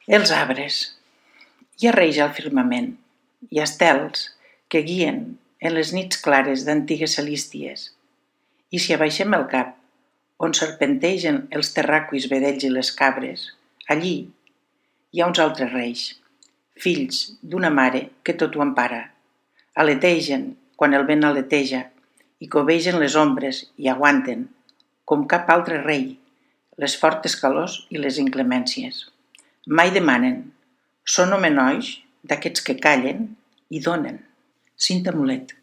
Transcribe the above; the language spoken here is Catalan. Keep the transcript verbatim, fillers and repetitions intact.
Els arbres. Hi ha reis al firmament, hi ha estels que guien en les nits clares d'antigues celísties. I si abaixem el cap, on serpentegen els terraquis vedells i les cabres, allí hi ha uns altres reis, fills d'una mare que tot ho empara. Aletegen quan el vent aleteja i covegen les ombres i aguanten, com cap altre rei, les fortes calors i les inclemències. Mai demanen, són homenolls d'aquests que callen i donen. Cinta Mulet.